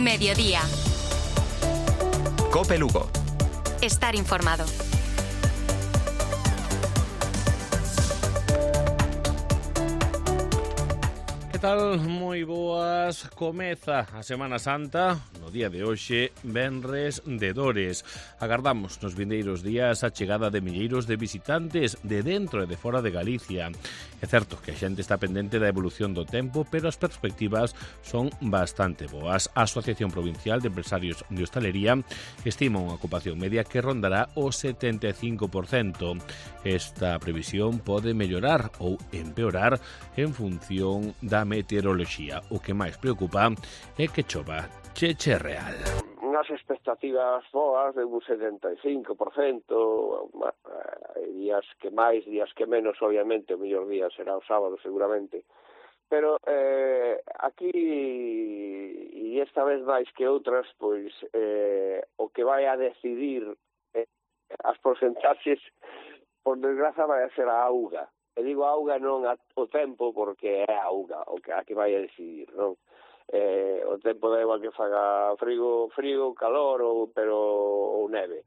Mediodía. COPE Lugo. Estar informado. Que tal? Moi boas. Comeza a Semana Santa no día de hoxe, venres de Dores. Agardamos nos vindeiros días a chegada de milleiros de visitantes de dentro e de fora de Galicia. É certo que a xente está pendente da evolución do tempo, pero as perspectivas son bastante boas. A Asociación Provincial de Empresarios de Hostalería estima unha ocupación media que rondará o 75%. Esta previsión pode mellorar ou empeorar en función da meteoroloxía. O que máis preocupa é que chova cheche real. Unhas expectativas boas de un 75%, días que máis, días que menos, obviamente, o mellor día será o sábado seguramente, pero aquí, e esta vez máis que outras, pois o que vai a decidir as porcentaxes, por desgraza, vai a ser a auga. E digo auga non o tempo, porque é a auga o que a que vai a decidir, non? O tempo da igual que faga frío, calor ou neve.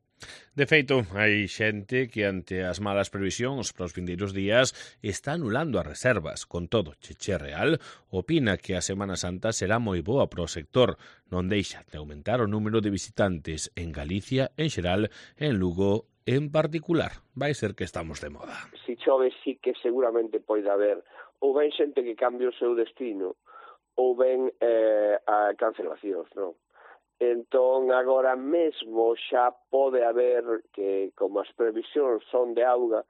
De feito, hai xente que ante as malas previsións para os vindeiros días está anulando as reservas. Con todo, Cheche Real opina que a Semana Santa será moi boa para o sector. Non deixa de aumentar o número de visitantes en Galicia en xeral e en Lugo en particular. Vai ser que estamos de moda. Si chove, sí que seguramente pode haber ou ben xente que cambie o seu destino ou ben a cancelacións, non? Entón, agora mesmo xa pode haber que, como as previsións son de auga,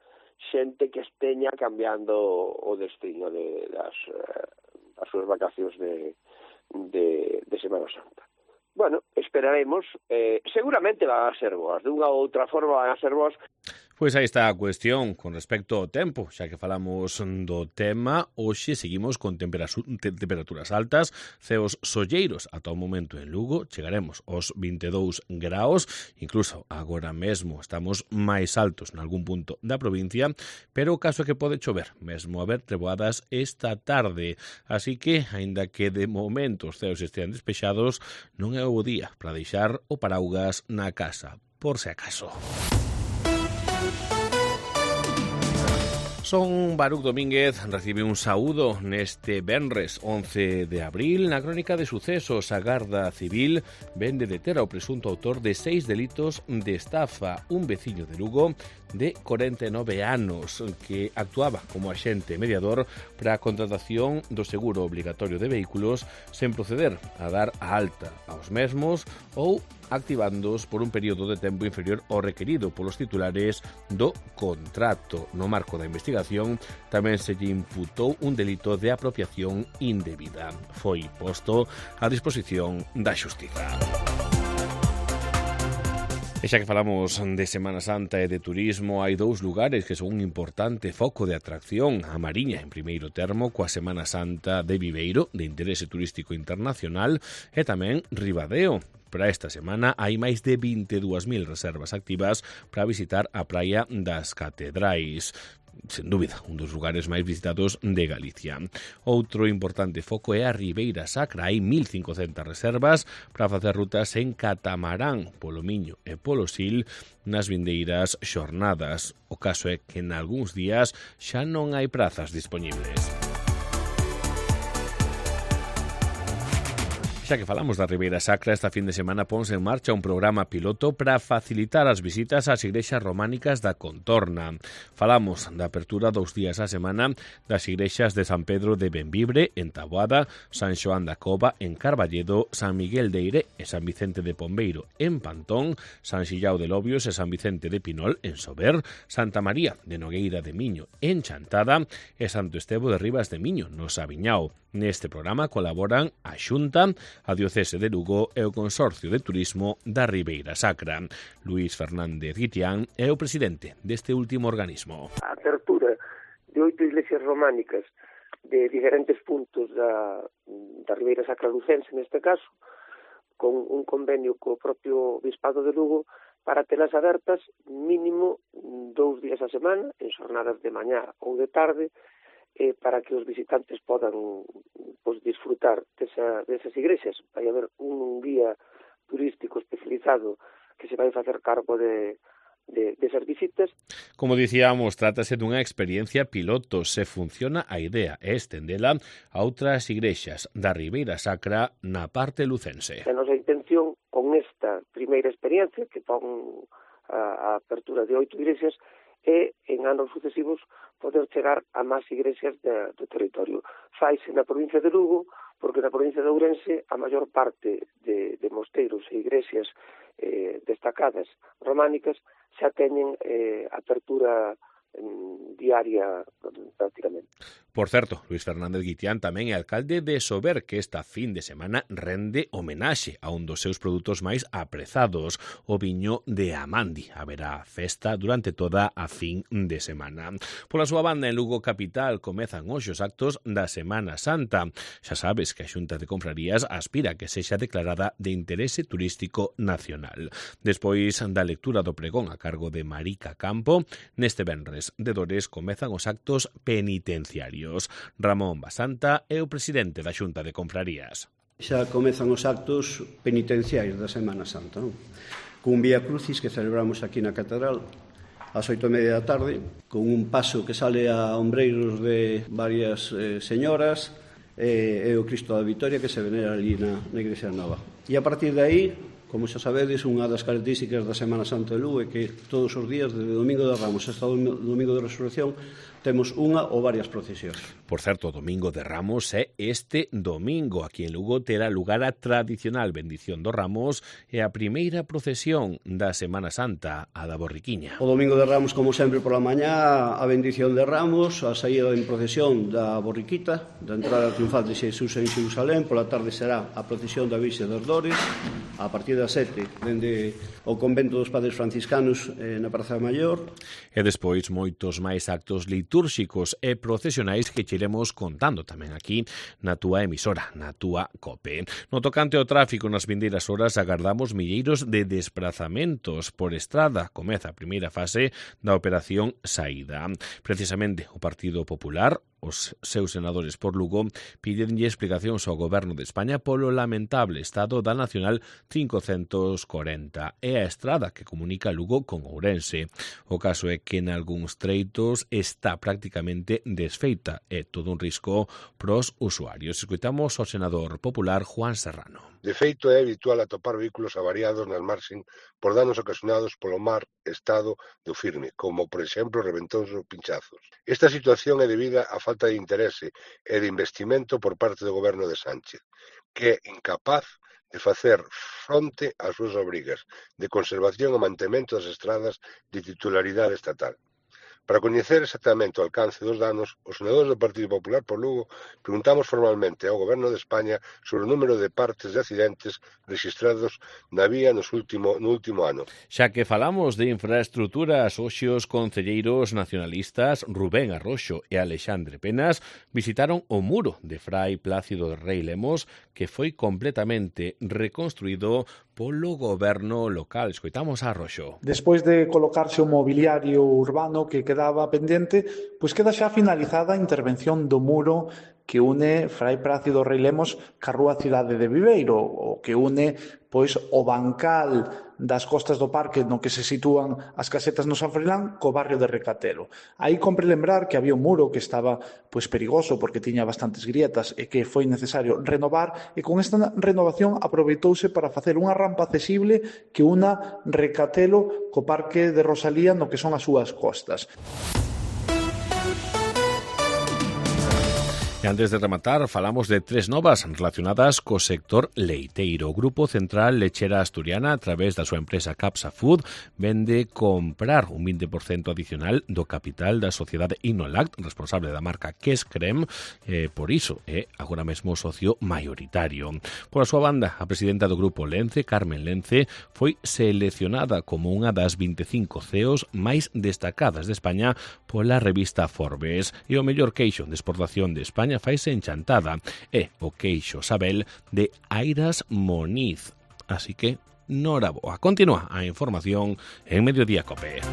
xente que esteña cambiando o destino das súas vacacións de Semana Santa. Bueno, esperaremos. Seguramente van a ser boas. De unha ou outra forma van a ser boas. Pois aí está a cuestión con respecto ao tempo. Xa que falamos do tema, hoxe seguimos con temperaturas altas, ceos solleiros ata o momento en Lugo, chegaremos aos 22 graus, incluso agora mesmo estamos máis altos nalgún punto da provincia, pero o caso é que pode chover, mesmo haber treboadas esta tarde, así que, aínda que de momento os ceos estean despexados, non é o día para deixar o paraugas na casa, por se acaso. Son Baruc Domínguez, recibe un saúdo neste venres 11 de abril. Na crónica de sucesos, a Garda Civil vende deter ao presunto autor de 6 delitos de estafa, un veciño de Lugo de 49 anos que actuaba como axente mediador para a contratación do seguro obligatorio de vehículos sen proceder a dar a alta aos mesmos ou activándoos por un período de tempo inferior ao requerido polos titulares do contrato. No marco da investigación tamén se lle imputou un delito de apropiación indebida. Foi posto a disposición da Xustiza. E xa que falamos de Semana Santa e de turismo, hai dous lugares que son un importante foco de atracción. A Mariña, en primeiro termo, coa Semana Santa de Viveiro, de interese turístico internacional, e tamén Ribadeo. Para esta semana hai máis de 22.000 reservas activas para visitar a praia das Catedrais. Sen dúbida, un dos lugares máis visitados de Galicia. Outro importante foco é a Ribeira Sacra. Hai 1.500 reservas para facer rutas en catamarán polo Miño e polo Sil nas vindeiras xornadas. O caso é que en algúns días xa non hai prazas dispoñibles. Xa que falamos da Ribeira Sacra, esta fin de semana ponse en marcha un programa piloto para facilitar as visitas ás igrexas románicas da contorna. Falamos da apertura 2 días á semana das igrexas de San Pedro de Benvibre, en Taboada, San Xoán da Cova, en Carballedo, San Miguel de Eire e San Vicente de Pombeiro, en Pantón, San Xillao de Lobios e San Vicente de Pinol, en Sober, Santa María de Nogueira de Miño, en Chantada, e Santo Estevo de Ribas de Miño, no Sabiñao. Neste programa colaboran a Xunta, a Diocese de Lugo e o Consorcio de Turismo da Ribeira Sacra. Luís Fernández Guitián é o presidente deste último organismo. A apertura de 8 iglesias románicas de diferentes puntos da Ribeira Sacra lucense, neste caso, con un convenio co propio Bispado de Lugo para telas abertas mínimo 2 días a semana, en xornadas de mañá ou de tarde, para que os visitantes podan disfrutar disfrutar desas igrexas. Vai haber un guía turístico especializado que se vai facer cargo desas visitas. Como dicíamos, trátase dunha experiencia piloto. Se funciona, a idea é estendela a outras igrexas da Ribeira Sacra na parte lucense. A nosa intención con esta primeira experiencia, que pon a apertura de 8 igrexas, e en anos sucesivos poder chegar a máis igrexas do territorio. Faise na provincia de Lugo, porque na provincia de Ourense a maior parte de mosteiros e igrexas destacadas románicas xa teñen apertura diaria prácticamente. Por certo, Luis Fernández Guitián tamén é alcalde de Sober, que esta fin de semana rende homenaxe a un dos seus produtos máis aprezados, o viño de Amandi. Haberá festa durante toda a fin de semana. Pola súa banda, en Lugo capital comezan hoxe os actos da Semana Santa. Xa sabes que a Xunta de Confrarías aspira a que sexa declarada de interese turístico nacional. Despois da lectura do pregón a cargo de Marica Campo, neste venres de Dores comezan os actos penitenciarios. Ramón Basanta é o presidente da Xunta de Confrarías. Xa comezan os actos penitenciarios da Semana Santa, non? Cun Vía Crucis que celebramos aquí na Catedral ás 8:30 da tarde, con un paso que sale a ombreiros de varias señoras e o Cristo da Vitoria que se venera ali na Igrexa Nova. E a partir de aí, como xa sabedes, unha das características da Semana Santa de Lugo é que todos os días, desde Domingo de Ramos hasta o Domingo de Resurrección, temos unha ou varias procesións. Por certo, o Domingo de Ramos é este domingo. Aquí en Lugo terá lugar a tradicional bendición dos Ramos e a primeira procesión da Semana Santa, a da Borriquiña. O Domingo de Ramos, como sempre, pola mañá, a bendición de Ramos, a saída en procesión da Borriquita, da entrada triunfal de Xesús en Xerusalén. Pola tarde será a procesión da Virxe das Dores, a partir das 7, dende o convento dos Padres Franciscanos na Praza Maior. E despois moitos máis actos litúrxicos e procesionais que che iremos contando tamén aquí na túa emisora, na túa COPE. No tocante ao tráfico, nas vindeiras horas agardamos milleiros de desplazamentos por estrada. Comeza a primeira fase da operación Saída. Precisamente o Partido Popular, os seus senadores por Lugo, pídenlle explicacións ao Goberno de España polo lamentable estado da Nacional 540 e a estrada que comunica Lugo con Ourense. O caso é que en algúns treitos está prácticamente desfeita e todo un risco pros usuarios. Escoitamos ao senador popular Juan Serrano. De feito, é habitual atopar vehículos avariados nas marxen por danos ocasionados polo mar estado do firme, como, por exemplo, reventóns ou pinchazos. Esta situación é debida á falta de interese e de investimento por parte do Goberno de Sánchez, que é incapaz de facer fronte ás súas obrigas de conservación e mantemento das estradas de titularidade estatal. Para coñecer exactamente o alcance dos danos, os senadores do Partido Popular por Lugo preguntamos formalmente ao Goberno de España sobre o número de partes de accidentes rexistrados na vía no último ano. Xa que falamos de infraestruturas, hoxe os concelleiros nacionalistas Rubén Arroxo e Alexandre Penas visitaron o muro de Fray Plácido Rei Lemos, que foi completamente reconstruído polo goberno local. Escoitamos a Arroxo. Despois de colocarse o mobiliario urbano que quedaba pendente, pois queda xa finalizada a intervención do muro que une Fray Plácido Rei Lemos ca rúa Cidade de Viveiro, o que une pois o bancal das costas do parque no que se sitúan as casetas no San Froilán co barrio de Recatero. Aí compre lembrar que había un muro que estaba pois perigoso porque tiña bastantes grietas e que foi necesario renovar, e con esta renovación aproveitouse para facer unha rampa accesible que una Recatelo co parque de Rosalía no que son as súas costas. E antes de rematar, falamos de tres novas relacionadas co sector leiteiro. O Grupo Central Lechera Asturiana, a través da súa empresa Capsa Food, vende comprar un 20% adicional do capital da sociedade Innolact, responsable da marca Kes Creme, por iso é agora mesmo socio maioritario. Por a súa banda, a presidenta do Grupo Lence, Carmen Lence, foi seleccionada como unha das 25 CEOs máis destacadas de España pola revista Forbes. E o mellor queixo de exportación de España faise en Chantada e o queixo Sabel de Airas Moniz. Así que, noraboa. Continúa a información en Mediodía Cope.